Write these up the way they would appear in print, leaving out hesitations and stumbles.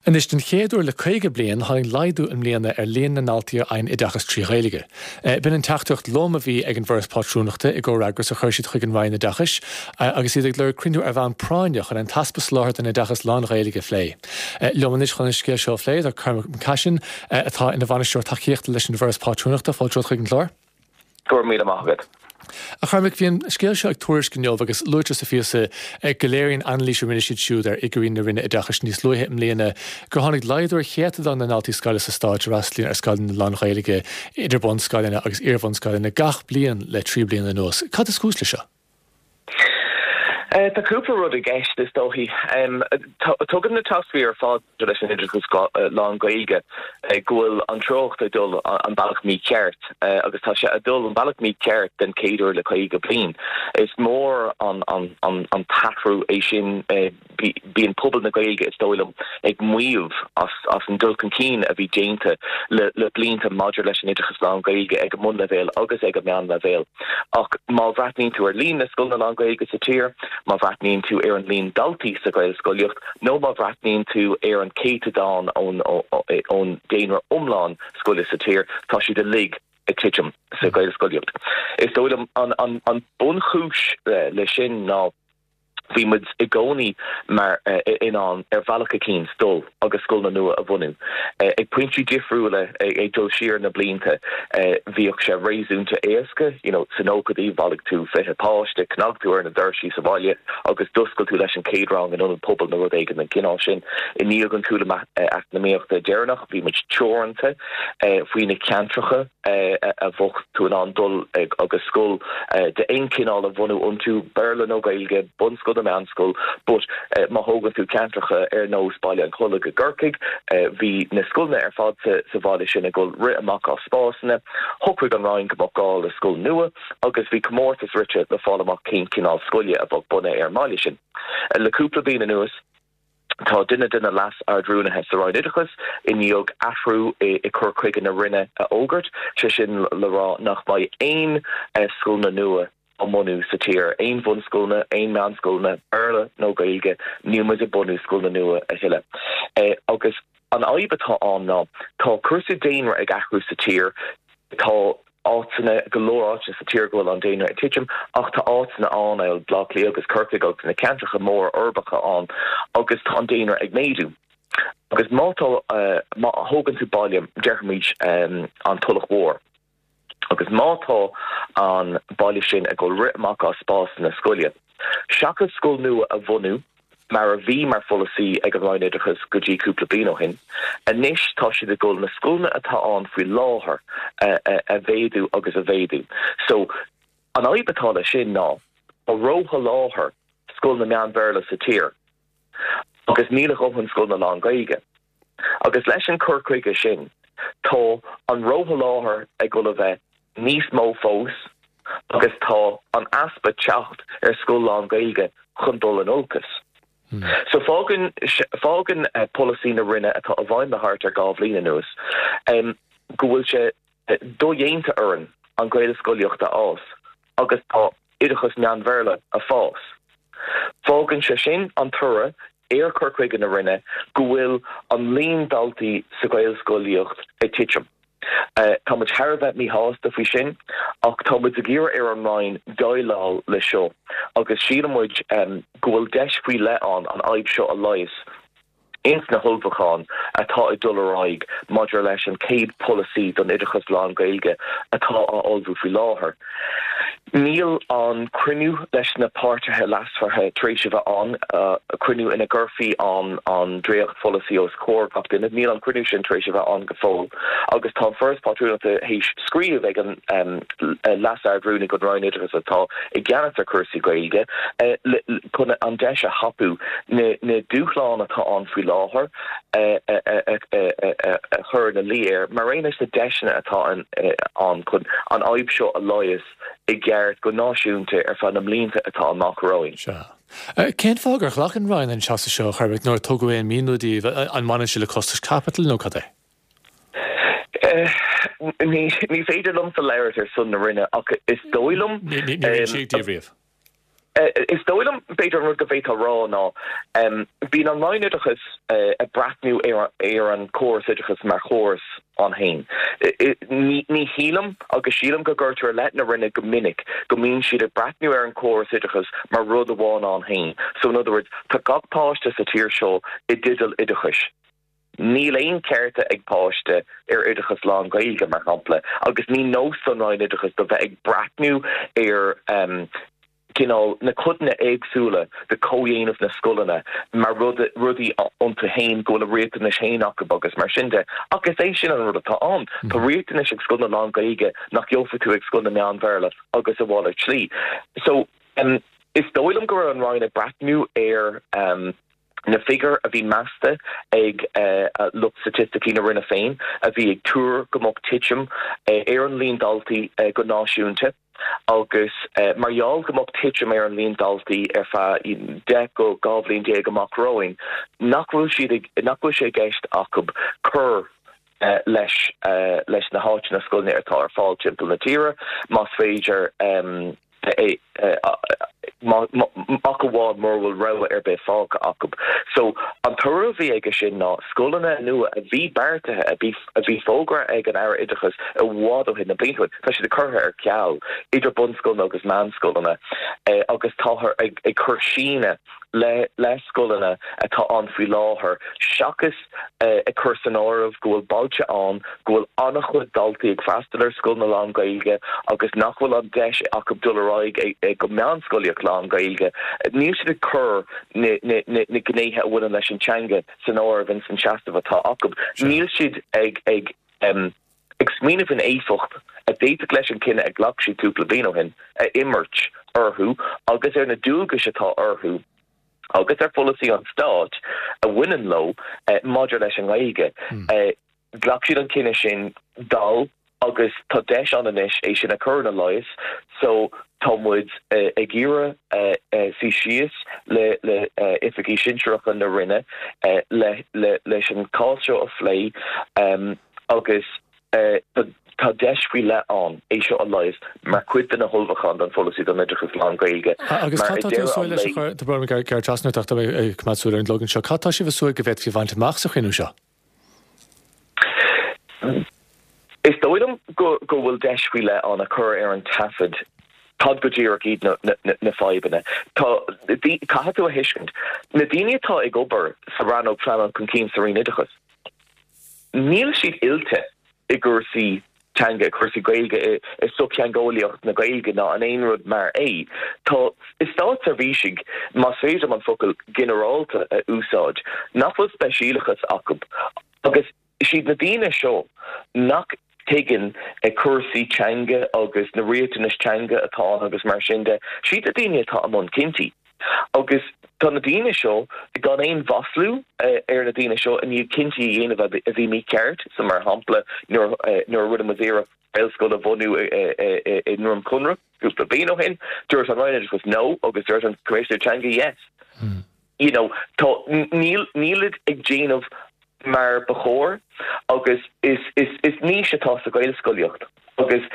Anois, den chéad uair le 50 bliain, tháinig laghdú i mbliana ar líon na ndaltaí a fhaigheann oideachas trí Ghaeilge. B'in an teachtaireacht lom a bhí ag an bhForas Pátrúnachta i gcomhfhreagras a chuir siad chuig an Roinn Oideachais agus iad ag lorg cruinniú ar bhonn práinne chun an t-easpa soláthair den oideachas lán-Ghaeilge a phlé. Liom anois chun an scéal seo a phlé tá Cormac McCashin atá ina bhainisteoir tacaíochta leis an bhForas Pátrúnachta. Fáilte romhat chuig an chlár. Go raibh míle maith agat. A Chormaic, bhí an scéal seo ag Tuairisc inniu agus luaitear sa phíosa go léiríonn anailís a rinne siad siúd ar fhigiúirí na Roinne Oideachais níos luaithe i mbliana gur tháinig laghdú ar chéatadán na ndaltaí scoile sa stát a fhreastalaíonn ar scoileanna lán-Ghaeilge, idir bunscoileanna agus iarbhunscoileanna, gach bliain le 3 bliana anuas. Cad is cúis leis seo? Tá cúpla rud i gceist, is dóichí. Tugann na táscairí ar fad maidir leis an oideachas lán-Ghaeilge go bhfuil an treocht ag dul an bealach mícheart agus tá sé ag dul an bealach mícheart den chéad uair le 50 bliain. Is mór an t-athrú é sin. Bíonn pobal na Gaeilge, is dóigh liom, ag maíomh as an dul chun cinn a bhí déanta le blianta maidir leis an oideachas lán-Ghaeilge ag an mbunleibhéal agus ag an meánleibhéal. Ach má bhreathnaíonn tú ar líon na scoileanna lán-Ghaeilge sa tír, má bhreathnaíonn tú ar an líon daltaí sa Ghaelscolaíocht nó má bhreathnaíonn tú ar an chéatadán ón daonra iomlán scoile sa tír, tá siad uilig ag titim sa Ghaelscolaíocht. Is dóigh liom an bunchúis leis sin ná, Bhí muid i gcónaí mar in ann ar bhealach eicínt dul agus scoileanna nua a bhunú. Ag pointí difriúla ag dul siar na blianta bhíodh sé réasúnta éasca, you know sna nóchaidí bhailigh tú 20 páiste, chnag tú ar na doirsí sa bhaile agus d'oscail tú leis an chéad rang in ionad pobail nó rud éigin den chineál sin. I ndiaidh an chúlú eacnamaíochta deireanach bhí muid teoranta faoi na ceantracha. a bheadh tú in ann dul agus scoil d'aon chineál a bhunú iontu, Béarla nó Gaeilge, bunscoil nó meánscoil, but má thógann tú ceantracha ar nós Baile an Chollaigh i gCorcaigh, bhí na scoileanna ar fad sa bhaile sin ag dul rith amach as spásanna. Shocraigh an Roinn go mbeadh gá le scoil nua agus bhí comórtas rite le fáil amach cén cineál scoile a bheadh bunaithe ar an mbaile sin. Le cúpla bliain anuas, Tá duine de na Leas-Ard-Rúnaithe sa Roinn Oideachais i ndiaidh athrú i cur chuige na Roinne a fhógairt, sé sin le rá nach mbeidh aon scoileanna nua á mbunú sa tír, aon bhunscoileanna, aon mheánscoileanna, Béarla nó Gaeilge, níl muid ag bunú scoileanna nua a thuilleadh. Agus an fhadhb atá ann ná tá cúrsaí daonra ag athrú sa tír, tá. áiteanna, go leor áiteanna sa tír go bhfuil an daonra ag titim ach tá áiteanna ann, amhail Baile Átha Cliath agus Corcaigh agus na ceantracha móra uirbeacha ann agus tá an daonra ag méadú. Agus má tá, má thógann tú baile, déarfaimid an Tulach Mhór, agus má tá an baile sin ag dul rith amach as spásanna scoile, seachas scoil nua a bhunú, mar a bhí mar pholasaí ag an Roinn Oideachais go dtí cúpla bliain ó shin. Anois tá siad ag dul na scoileanna atá ann faoi láthair a mhéadú agus a mhéadú. So, an fhadhb atá leis sin ná tá rósholáthar scoileanna meán-Bhéarla sa tír agus níl a dhóthain scoileanna lán-Ghaeilge. Agus leis an cur chuige sin, tá an rósholáthar ag dul a bheith níos mó fós agus tá an easpa teacht ar scoil lán-Ghaeilge chun dul in olcas. So fágann, fágann polasaí na Roinne atá i bhfeidhm le thart ar 2 bhliain anuas go bhfuil sé dodhéanta orainn an Ghaelscolaíocht a fhás agus tá oideachas meán-Bhéarla ag fás. Fágann sé sin an toradh ar chur chuige na Roinne go bhfuil an líon daltaí sa Ghaelscolaíocht ag titim. Tá muid thar a bheith míshásta faoi sin ach tá muid ag iarraidh ar an Roinn déileáil le seo agus síleann muid go bhfuil deis faoi leith ann an fhadhb seo a leigheas. ins na hullmhúcháin atá ag dul ar aghaidh maidir leis an chéad pholasaí don oideachas lán-Ghaeilge atá á ullmhú faoi láthair. Níl an cruinniú leis na páirtithe leasmhara tar éis a bheith ann, cruinniú ina gcuirfí an an dréachtpholasaí os comhair gach duine, níl an cruinniú sin tar éis a bheith ann go fóill agus tá an Foras Pátrúnachta théis scríobh ag an Leas-Ard-Rúnaí don Roinn Oideachais atá i gceannas ar chúrsaí Gaeilge chun an deis a thapú na dúshláin atá ann faoi láthair a chur ina luí air, mar aon leis na deiseanna atá ann chun an fhadhb seo a leigheas i gceart go náisiúnta ar feadh na mblianta atá amach romhainn. Sea. Cén fáth gur ghlac an Roinn an seasamh seo, a Chormaic, nuair a tugadh aon mhíniú daoibh? An mbaineann sé le costais caipitil nó cad é? Ní féidir liomsa labhairt ar son na Roinne ach is dóigh liom. Níor insíodh daoibh riamh. Is dóigh liom, b'fhéidir, an rud go bhféadfá a rá ná, bíonn an Roinn Oideachais ag breathnú ar an chóras oideachais mar chóras ann féin. Ní shílim, agus sílim go gcuirtear i leith na Roinne go minic, go mbíonn siad ag breathnú ar an chóras oideachais mar rud amháin ann féin. So in other words, tá gach páiste sa tír seo i dteideal oideachais. Níl aon chearta ag páiste ar oideachas lán-Ghaeilge, mar shampla, agus ní nós don Roinn Oideachais do bheith ag breathnú ar cineál na codanna éagsúla de chomhdhéanamh na scoileanna mar rud, rudaí iontu féin, go bhfuil a riachtanais féin acu agus mar sin de. Ach is é sin an rud atá ann. Tá riachtanais ag scoileanna lán-Ghaeilge nach gheofaidh tú ag scoileanna meán-Bhéarla agus a mhalairt slí. So, is dóigh liom go raibh an Roinn ag breathnú ar. na figiúir a bhí measta ag lucht staitisticí na Roinne féin, a bhí ag tuar go mbeadh titim ar an líon daltaí go náisiúnta agus mar gheall go mbeadh titim ar an líon daltaí ar feadh 10 go 12 bhliain amach romhainn, nach bhfuil siad ag, nach bhfuil sé i gceist acu cur leis leis na háiteanna scoileanna atá ar fáil timpeall na tíre, más féidir. ach amháin mura bhfuil rogha ar bith fágtha acu. So, an toradh a bhí aige sin ná scoileanna nua a bhí beartaithe, a bhí a bhí fógartha ag an Aire Oideachais i bhfad ó shin, na blianta ó shin, tá siad curtha ar ceal, idir bunscoileanna agus meánscoileanna, agus táthar ag ag cur síneadh le le scoileanna atá ann faoi láthair, seachas ag cur san áireamh go bhfuil bailte ann go bhfuil an-chuid daltaí ag freastal ar scoileanna lán-Ghaeilge agus nach bhfuil an deis acu dul ar aghaidh go meánscolaíocht lán-Ghaeilge. Níl siad ag cur na gnéithe a bhaineann leis an teanga san áireamh ins an seasamh atá acu. Níl siad ag ag ag smaoineamh faoin éifeacht a d'fhéadfadh leis an cinneadh a ghlac siad cúpla bliain ó shin a imirt orthu agus ar na dualgais atá orthu agus ar pholasaí an stáit a bhaineann leo maidir leis an nGaeilge. Ghlac siad an cinneadh sin dall agus tá deis ann anois é sin a chur ina leigheas so tá muid ag iarraidh suí síos le oifigigh sinsearacha na Roinne leis an cás seo a phlé agus tá deis faoi leith ann é seo a leigheas mar chuid de na hullmhúcháin don pholasaí don oideachas lán-Ghaeilge. Agus cad tá tú ag súil leis a chur, tá brón orm gearradh trasna ort ach tá mé ag coimeád súil ar an gclog anseo, cad tá sibh ag súil go bhféadfaí a bhaint amach sa chruinniú seo? Is dóigh liom go bhfuil deis faoi leith ann a chur ar an taifead cad go díreach iad na fadhbanna. Tá, caithfidh tú a thuiscint, na daoine atá ag obair sa rannóg pleanáil chun cinn sa Roinn Oideachais, Níl siad oilte i gcúrsaí teanga, i gcúrsaí Gaeilge, i sochtheangeolaíocht na Gaeilge ná in aon rud mar é. Tá státseirbhísigh, más féidir liom an focal ginearálta a úsáid, nach bhfuil speisialachas acu agus is iad na daoine seo nach dtuigeann cúrsaí teanga agus na riachtanais teanga atá ann agus mar sin de, is iad na daoine atá i mbun cinntí. Agus tá na daoine seo, gan aon mhaslú ar na daoine seo, i ndiaidh cinntí a dhéanamh a bhí mícheart, so mar shampla nuair a rinne muid iarracht Gaelscoil a bhunú i nDroim Conrach cúpla bliain ó shin, dúirt an Roinn Oideachais no agus dúirt an Coimisinéir Teanga yes. You know, tá, níl, nílid ag déanamh mar ba chóir agus is, is, is niche atá sa Ghaelscolaíocht agus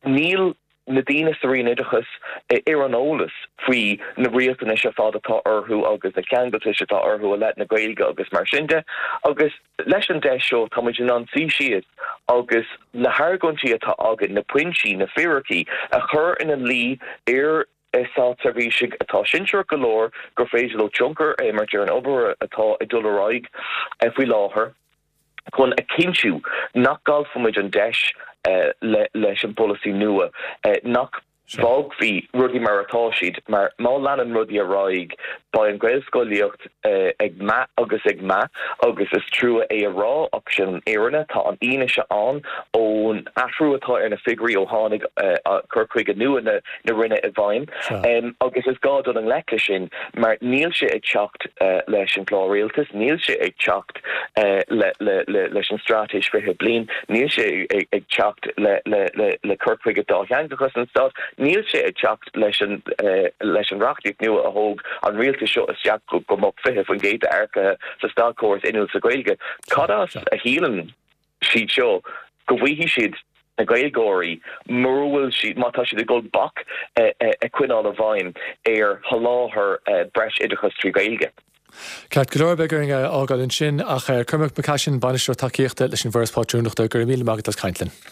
níl na daoine sa Roinn Oideachais ar an eolas faoi na riachtanais ar fad atá orthu agus na ceangaltais atá orthu i leith na Gaeilge agus mar sin de. Agus leis an deis seo tá muid in ann suí síos agus na hargóintí atá againn, na pointí, na fíricí a chur ina luí ar státseirbhísigh atá sinsearach go leor gur féidir leo tionchar a imirt ar an obair atá ag dul ar aghaidh faoi láthair. chun a chinntiú nach gcaillfimid an deis leis an bpolasaí nua, nach bhfágfaí rudaí mar atá siad, mar má leanann rudaí ar aghaidh, beidh an Ghaelscolaíocht ag meath agus ag meath agus is trua é a rá ach sin an fhírinne. Tá an fhianaise ann ón athrú atá ar na figiúirí ó tháinig cur chuige nua na Roinne i bhfeidhm agus is gá dul i ngleic leis sin mar níl sé ag teacht leis an gclár rialtais, níl sé ag teacht. leis an Straitéis 20 Bliain, níl sé ag teacht le cur chuige dátheangachas an Stáit, níl sé ag teacht leis an leis an reachtaíocht nua a thóg an rialtas seo isteach go mbeadh 20% d'earcaithe sa státchóras inniúil sa Ghaeilge. Cad as a shíleann siad seo go bhfaighidh siad? na Gaeilgeoirí mura bhfuil siad, má tá siad ag dul bac a choinneáil i bhfeidhm ar sholáthar breis oideachais trí Ghaeilge. Ceart go leor, beidh orainn é a fhágáil ansin, ach Cormac Mac Caisin, Bainisteoir Tacaíochta leis an bhForas Pátrúnachta, go raibh míle maith agat as caint linn.